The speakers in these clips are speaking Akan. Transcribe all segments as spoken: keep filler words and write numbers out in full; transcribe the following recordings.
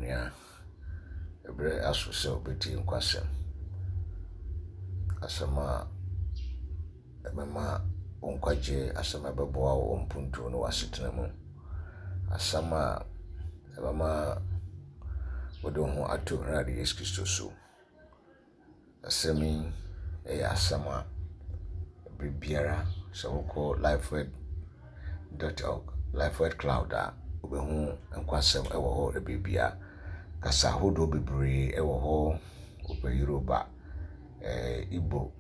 Onua, ɛberɛ aso sɛ wobɛtie nkwasɛm. Asɛm a ɛbɛma wo nkwagye, asɛm a ɛbɛboa wo mpuntuo ne w'asetena mu. Asɛm a ɛbɛma wode wo ho ato Awurade Yesu Kristo so. Asɛm yi yɛ asɛm a berɛ biara sɛ wokɔ lifeword dot org, Lifeword Cloud a, wobɛhu nkwasɛm wɔ hɔ berɛ biara. Kasa ahodoɔ bebree wɔ hɔ. Wopɛ Yoruba, eh, Igbo,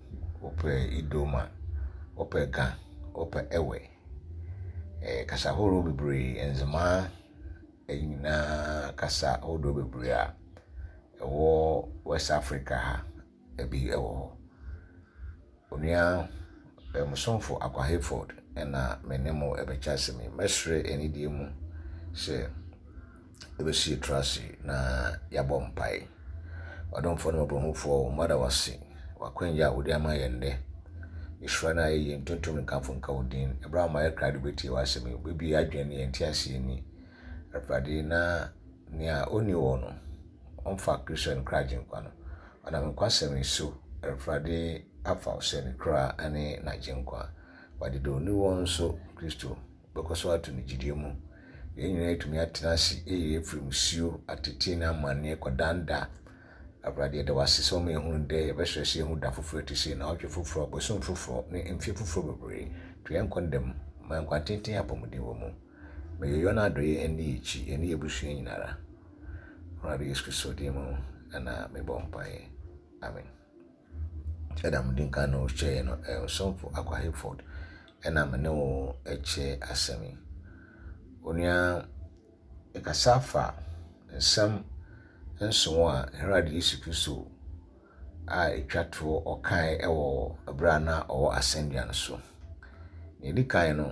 wopɛ Idoma, wopɛ Ga, wopɛ Ewe. Eh, kasa ahorow bebree, Nzemaa nyinaa kasa ahodoɔ bebree a ɛwɔ West Africa ha ebi wɔ hɔ. Onua Musomfo Akwa Hayford ɛna me ne mo ɛbɛkyɛ asɛm yi. Mɛsrɛ anidie mu sɛ ɛbɛsi yɛtiri ase na yɛabɔ mpae. Ɔdomfoɔ ne mmɔborɔhunufoɔ, mada wo ase w'akwanya a wode ama yɛn nnɛ. Nhyira no ayɛ yɛn ntontom nkamfo nka wo din. Ɛberɛ a ma yɛ krado bɛtie w'asɛm yi, wobɛbue yɛn adwene ne yɛn nteaseɛ ni. Awurade, na nea ɔnni wɔ no, ɔmfa Kristo ne kra agyenkwa no. Ɔnam nkwasɛm yi so, Awurade afa wo sɛ ne kra ne n'agyenkwa. Wɔde deɛ ɔnni wɔ nso, Kristo bɛkɔ so ato ne gyidie mu. Yɛn nyinaa atumi atena ase ɛyɛ afiri musuo, atete ne amanneɛ kɔdanda. Awurade, yɛda wo ase sɛ woma yɛhunu dɛ yɛbɛsrɛ sɛ yɛhu da foforɔ te sei, naawɔtwe foforɔ, bosom foforɔ ne mfeɛ foforɔ bebree. To yɛn nkɔ ndam, ma nkwa tenten apɔmuden wɔ mu. Ma yɛyɔ no adɔeɛ ɛne yɛn akyi, ɛne yɛn abusua nyinara. Awurade Yesu Kristo din mu ɛna mebɔ mpaeɛ. Amen. Sɛdeɛ mede nka no kyerɛɛ no, Ɔsomfo Akwa Hayford ɛna me ne wo kyɛ asɛm yi. Onua, yɛkasa fa nsɛm nson a Awurade Yesu Kristo a ɛtwa toɔ ɔkae ɛwɔ ɛberɛ a na ɔwɔ asɛnnua no so. Nea ɛdi kan no,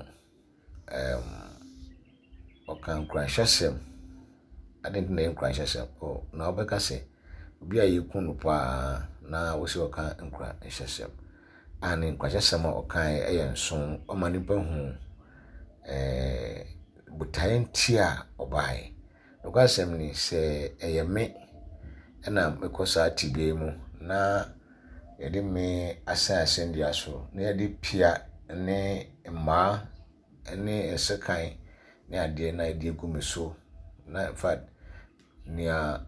um, ɔka nkuranhyɛsɛm. Adɛn nti na ɛyɛ nkuranhyɛsɛm? Oh, na wobɛka sɛ obi a yɛku no paa na wosi ɔka nkuranhyɛsɛm. A ne nkuranhyɛsɛm a ɔkae ɛyɛ nson, ɔma nnipa hu ɛɛ botaeɛ nti a ɔbaeɛ. Nokwasɛm ni sɛ ɛyɛ me ɛna mekɔ saa tebea yi mu na yɛde me asɛn asɛnnua so na yɛde pia ne mmaa ne nsekan ne adeɛ na yɛde agu me so na in fact nea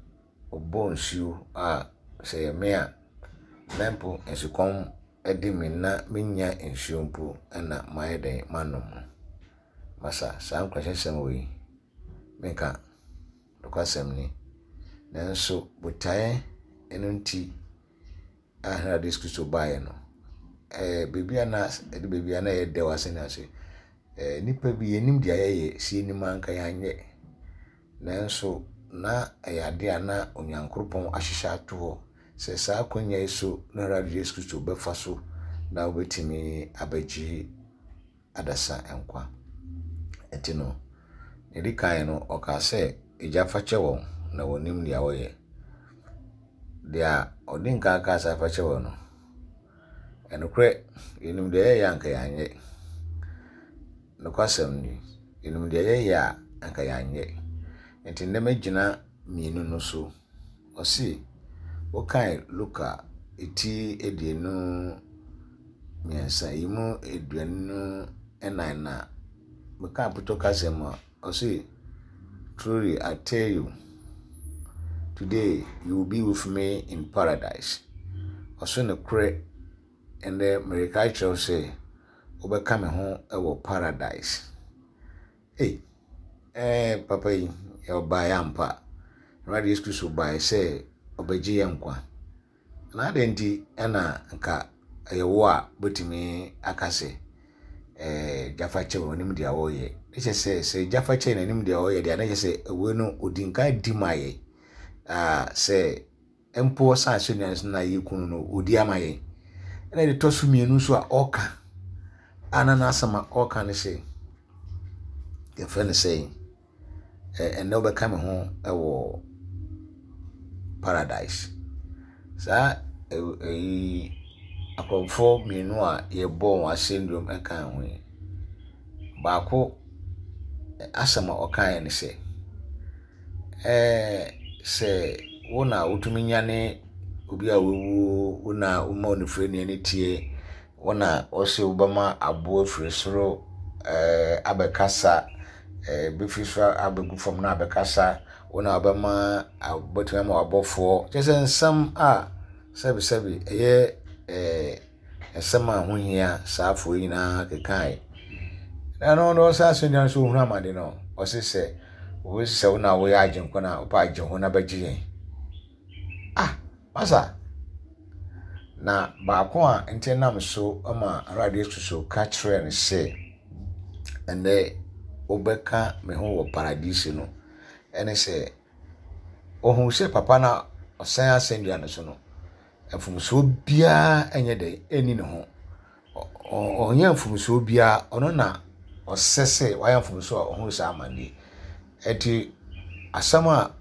ɔbɔ nsuo a sɛ ɛyɛ me a na mpo nsukɔm de me na menya nsuo mpo ɛna mayɛ dɛn manom. Masa saa nkuranhyɛsɛm wei menka nokwasɛm ni. Nanso botaeɛ ɛno nti a Awurade Yesu Kristo baeɛ no, ɛɛ beebi a na ɛde beebi a na ɛyɛ dɛ wɔ asɛnnua so. Ɛɛ nnipa bi yɛnim deɛ yɛyɛ, sɛ yɛnim a anka yɛanyɛ. Nanso na ɛyɛ adeɛ a na Onyankopɔn ahyehyɛ ato hɔ sɛ saa akonnwa yi so na Awurade Yesu Kristo bɛfa so na wobɛtumi abɛgye adasa nkwa. Nti no, nea ɛdi kan no, ɔkaa sɛ, Agya fa kyɛ wɔn na wɔnim deɛ wɔyɛ. Deɛ ɔdi nkan kaa sɛ afa kyɛ wɔn no, ɛnokorɛ yɛnim deɛ yɛyɛ a anka yɛanyɛ. Nokwasɛm ni, yɛnim deɛ yɛyɛ a anka yɛanyɛ. Nti nnɛ mɛgyina mmienu no so. Ɔse, wokae Luka eti aduonu mmiɛnsa yi mu aduonu ɛnan na meka apotɔ kasa mu a, ɔse, "Truly I tell you, today you will be with me in paradise." Ɔso nokorɛ ɛnnɛ mereka akyerɛ wo sɛ wobɛka me ho wɔ paradise. Ei, ɛɛ papa yi, ɔbaeɛ ampa. Awurade Yesu Kristo baeɛ sɛ ɔbɛgye yɛn nkwa. Na adɛn nti ɛna nka ɛyɛ wo a wobɛtumi aka sɛ ɛɛ gyafa kyɛ wɔn anim deɛ wɔreyɛ. Ne kyerɛ sɛ sɛ gyafa kyɛ n'anim deɛ ɔreyɛ deɛ, na kyerɛ sɛ ɛwɔ no odi nkan di ma yɛn. Aa sɛ mpo ɔsan asɛnnua no so na yɛku no no, odi ama yɛn. Ɛna deɛ ɛtɔ so mmienu nso a ɔreka a na n'asɛm a ɔreka ne sɛ, yɛfrɛ no sɛ ɛnnɛ wobɛka me ho wɔ paradise. Saa ɛyi akorɔmfoɔ mmienu a yɛbɔ wɔn asɛnnua mu ka ho yi, baako asɛm a ɔkaeɛ ne sɛ, ɛɛ Sɛ wo na wotumi nyane obi a wawuo, wo na woma onifirani ani tie, wo na wɔse wobɛma aboɔ afiri soro ɛɛ abɛkasa, ɛɛ bɛfiri soro abɛgu fam na abɛkasa, wo na wobɛma wobɛtumi ama w'abɔfoɔ. Kyerɛ sɛ nsɛm a sɛbesɛbe ɛyɛ ɛɛ nsɛm a ho hia saafoɔ yi nyinaa kekae. Na ɛno no ɔsan asɛnnua no so ohunu amane no, ɔse sɛ wɔsi sɛ wo na woyɛ agyenkwa no a, wopɛ agye ho na bɛgye yɛn. Ah, masa. Na baako a nti nam so ma Awurade Yesu so ka kyerɛɛ no sɛ, ɛnnɛ wobɛka me ho wɔ paradise no, ɛne sɛ ohuu sɛ papa no a ɔsɛn asɛnnua no so no, mfomsoɔ biara nyɛ dɛ ɛnni ne ho. Ɔnyɛ mfomsoɔ biara, ɔno na ɔsɛ sɛ wayɛ mfomsoɔ a ɔhunu saa amanneɛ. Ɛnti asɛm a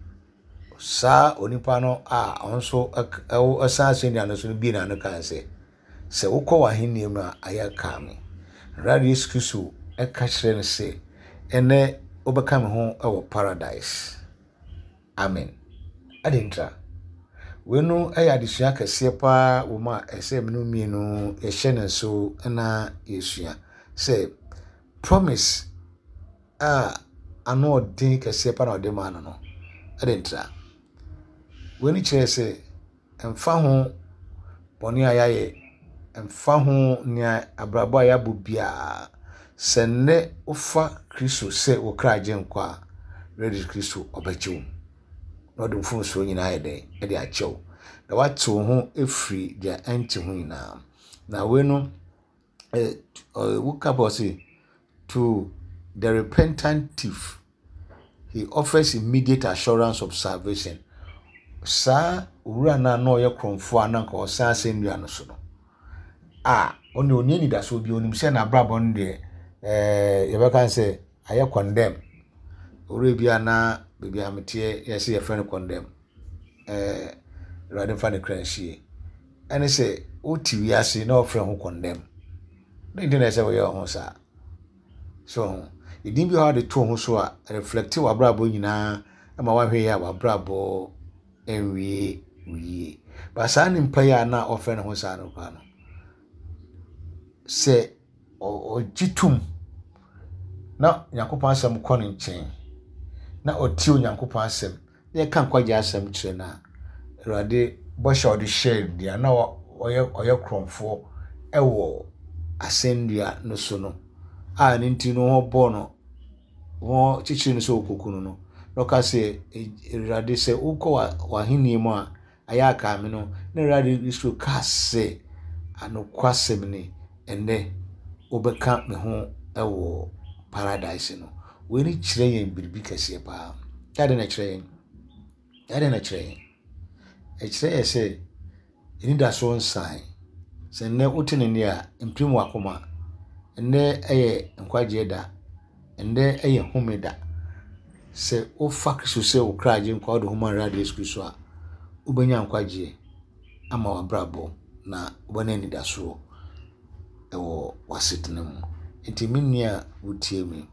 saa onipa no a ɔno nso ɔsan asɛnnua no so no bie n'ano kaa sɛ, sɛ wokɔ w'ahenni mu a ayɛ kaa me. Awurade Yesu Kristo ɛka kyerɛ no sɛ, ɛnnɛ wobɛka me ho wɔ paradise. Amen. Adɛn ntira? Wei no yɛ adesua kɛseɛ paa wɔ mu a ɛsɛ mene mmienu yɛhyɛ ne nso na yɛsua sɛ promise a ano ɔden kɛseɛ pa na ɔde maa no no. Adɛn ntira? Wei no kyerɛ sɛ ɛmfa ho bɔne a yɛayɛ, ɛmfa ho nea abrabɔ a yɛabɔ biara, sɛ nnɛ wofa Kristo sɛ wo kra agyenkwa a, Awurade Kristo ɔbɛgye wo. Na ɔde mfomsoɔ nyinaa ayɛ dɛn ɛde akyɛ wo. Na wate wo ho afiri deɛ ɛnte ho nyinaa. Na wei no, eh, woka bɔ sɛ, to the repentant thief, he offers immediate assurance of salvation. Saa owura no a na ɔyɛ korɔmfoɔ a na nka ɔsan asɛnnua no so no, a ɔne ɔni anidasoɔ bi, onim sɛ n'abrabɔ no deɛ, ɛɛ yɛbɛka sɛ ayɛ condemn. Owura bi a na baabi a meteɛ yɛsɛ yɛfrɛ no condemn. Ɛɛ Awurade mfa ne kra nsie. Ɛne sɛ wote wiase na wɔfrɛ ho condemn. Dɛn nti na ɛsɛ woyɛ wo ho saa? So ho. Edin bi wɔ hɔ a wɔde to ho so a reflect w'abrabɔ nyinaa ma woahwɛ yie a w'abrabɔ nwie wo yie. Ba saa nipa yi a na ɔfrɛ ne ho saa no koraa no, sɛ ɔgye tom na Nyankopɔn asɛm kɔ ne nkyɛn na ɔtie Onyankopɔn asɛm na yɛka nkwagye asɛm kyerɛ no a, Awurade bɔhyɛ a ɔde hyɛɛ deɛ na ɔyɛ ɔyɛ korɔmfoɔ ɛwɔ asɛnnua no so no, a ne nti no wɔbɔɔ no, wɔkyekyere no sɛ ɔkɔku no no, na ɔka sɛ, Awurade sɛ wokɔ w'ahenni mu a, ayɛ aka me no, na Awurade Kristo kaa sɛ, anokwasɛm ni, ɛnnɛ wobɛka me ho ɛwɔ paradise no. Wei ne kyerɛ yɛn biribi kɛseɛ paa. Adɛn na ɛkyerɛ yɛn? Adɛn na ɛkyerɛ yɛn? Ɛkyerɛ yɛ sɛ anidasoɔ nsan. Sɛ nnɛ wote ne nne a, mpirim w'akoma. Nnɛ ɛyɛ nkwagyeɛ da. Nnɛ ɛyɛ home da. Sɛ wofa Kristo sɛ wo kra agyenkwa wode ho ma Awurade Yesu Kristo a, wobɛnya nkwagyeɛ ama w'abrabɔ na wobɛnya anidasoɔ ɛwɔ w'asetena mu. Nti me nua a wotie me,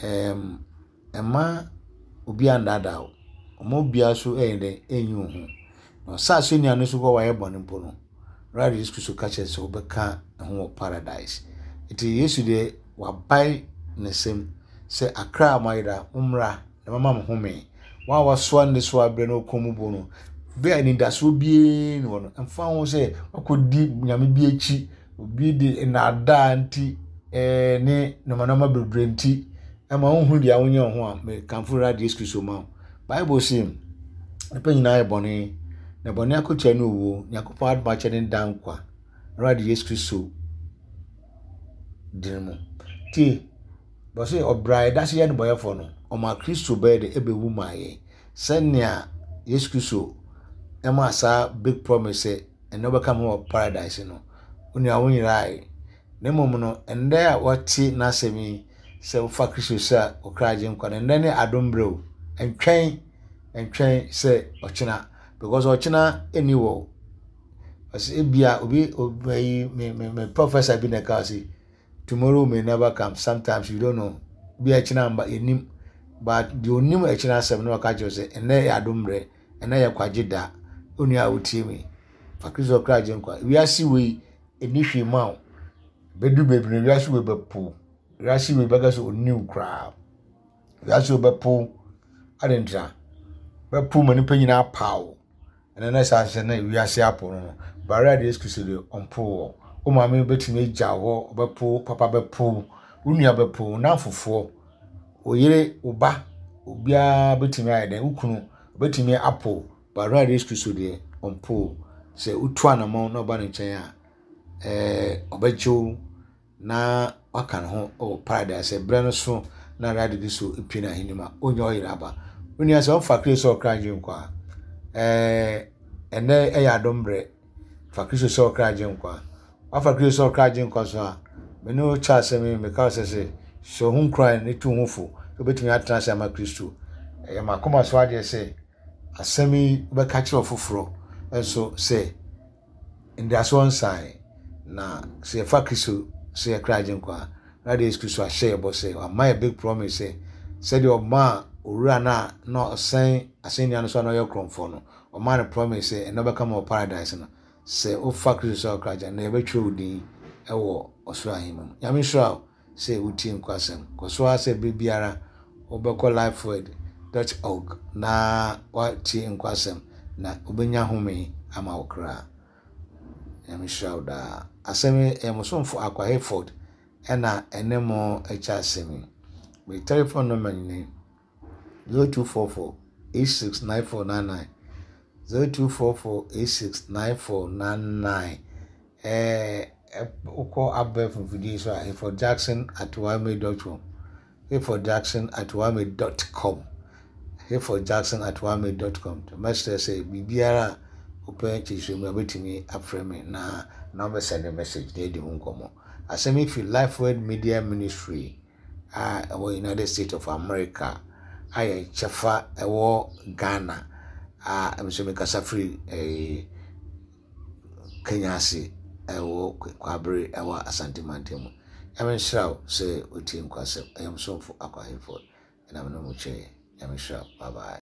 ɛɛm ɛmma obi annaadaa wo. Ɔma obiara so ɛyɛ dɛn ɛnyi wo ho. Na ɔsa asɛnnua no so kɔ wayɛ bɔne mpo no, Awurade Yesu Kristo ka kyerɛ sɛ wobɛka ne ho wɔ paradise. Nti Yesu deɛ wabae ne nsam sɛ akra a moayera mommra na mama mo home. Wɔn a wɔasoa nnesoa abrɛ na wɔkɔn mu bu no, bere a anidasoɔ biara nni hɔ no, ɛmfa ho sɛ wakɔdi nyame bi akyi, obi de nnaadaa nti ɛɛ ne nneɛma nneɛma bebree nti ɛma wohu deɛ wonyɛ wo ho a, mekamfo Awurade Yesu Kristo ma wo. Bible se, nnipa nyinaa yɛ bɔne, na bɔne akatua ne owuo. Nyankopɔn adom akyɛ ne da nkwa. Awurade Yesu Kristo din mu. Tie, bɔse ɔbra a yɛda so yɛ nnebɔneyɛfoɔ no, ɔma Kristo bɛyɛ de ɛbɛwu maa yɛn. Sɛnea Yesu Kristo ɛmaa saa big promise sɛ ɛnnɛ wobɛka me ho wɔ paradise no, wo nua wo nyerae. Na mmom no, ɛnnɛ a wɔte n'asɛm yi sɛ wofa Kristo sɛ wo kra agyenkwa no, ɛnnɛ ne adom berɛ o. Ɛntwɛn, ɛntwɛn sɛ ɔkyena, because ɔkyena ɛnni wɔ o. Ɔsɛ ebia obi obi me me me professor bi na ɛka ɔsɛ tomorrow may never come, sometimes you don't know. Bi a ɛkyena mba yɛnim. But deɛ onim ɛkyena asɛm no ɔka kyerɛ sɛ ɛnɛ yɛ adom mmerɛ, ɛnɛ yɛ kwagye da. Onua a wotie me, fa Kristo kra gye nkwa. Wiase wei ɛni hwee ma wo. Bɛdu baabi no wiase wei bɛpo. Wiase wei bɛka sɛ ɔnni wo koraa. Wiase wei bɛpo. Ade ntra. Bɛpo ma nipa nyinaa pa wo. Ɛnɛ na saa sɛ na wiase apo no no. Bara de Yesu Kristo deɛ ɔmpo wɔ. Wo maame bɛtumi agya hɔ, ɔbɛpo, papa bɛpo, wo nua bɛpo, wo namfofoɔ, wo yere, wo ba, obiara bɛtumi ayɛ dɛn, wo kunu bɛtumi apo. Bara de Yesu Kristo deɛ ɔmpo. Sɛ wotu anammɔn na ɔba ne nkyɛn a, ɛɛ ɔbɛgye wo na waka ne ho wɔ paradise. Berɛ no so na Awurade Kristo pie n'ahenni mu a, ɔnya ɔyere aba. Wo nua sɛ ɔmfa Kristo sɛ ɔkra gye nkwa a, ɛɛ ɛnɛ ɛyɛ adom berɛ. Fa Kristo sɛ ɔkra gye nkwa. Wafa Kristo sɛ ɔkra gye nkwa so a, me ne wo kyɛ asɛm yi, meka wo sɛ sɛ hyɛ wo ho nkuran ne tu wo ho fo sɛ wobɛtumi atena ase ama Kristo. Ɛyɛ m'akoma so adeɛ sɛ asɛm yi wobɛka kyerɛ ɔfoforɔ nso sɛ ndasoɔ nsan na sɛ yɛfa Kristo sɛ yɛkra gye nkwa a, Awurade Yesu Kristo ahyɛ yɛ bɔ sɛ wama yɛ big promise sɛ sɛdeɛ ɔmaa owura no a na ɔsɛn asɛnnua no so a na ɔyɛ korɔmfoɔ no, ɔmaa no promise sɛ ɛnɛ ɔbɛka ma wɔ paradise no. Sɛ wofa Kristo sɛ ɔkra gye na yɛbɛtwerɛ wo din ɛwɔ ɔsoro ahemman mu. Nyame nhyira wo sɛ wotie nkwasɛm. Kɔ so ara sɛ berɛ biara wobɛkɔ lifeword dot org na woatie nkwasɛm na wobɛnya home ama wo kra. Nyame nhyira wo daa. Asɛm yi ɛyɛ mo somfo Akwa Hayford ɛna ɛne mo akyɛ asɛm yi. Me telephone number ni zero two four four eight six nine four nine nine zero two four four eight six nine four nine nine. Ɛɛ wokɔ abɛɛfo mfidie so a Hayford Jackson at ymail dot com Hayford Jackson at ymail dot com Hayford Jackson at ymail dot com. Mɛsrɛ sɛ biribiara a wopɛ kyerɛkyerɛ mu a wobɛtumi afrɛ me na na wobɛsɛnde message na yɛdi ho nkɔmmɔ. Asɛm yi fi Lifeword Media Ministry a ɛwɔ United States of America a yɛn kyɛfa ɛwɔ Ghana a nso mekasa firi ɛɛ Kenya ase ɛwɔ Kwabere ɛwɔ Asante Mantam mu. Nyame nhyira wo sɛ wotie nkwasɛm. Ɛyɛ mo somfo Akwa Hayford ɛna me ne mo kyɛɛ. Nyame nhyira wo. Bye bye.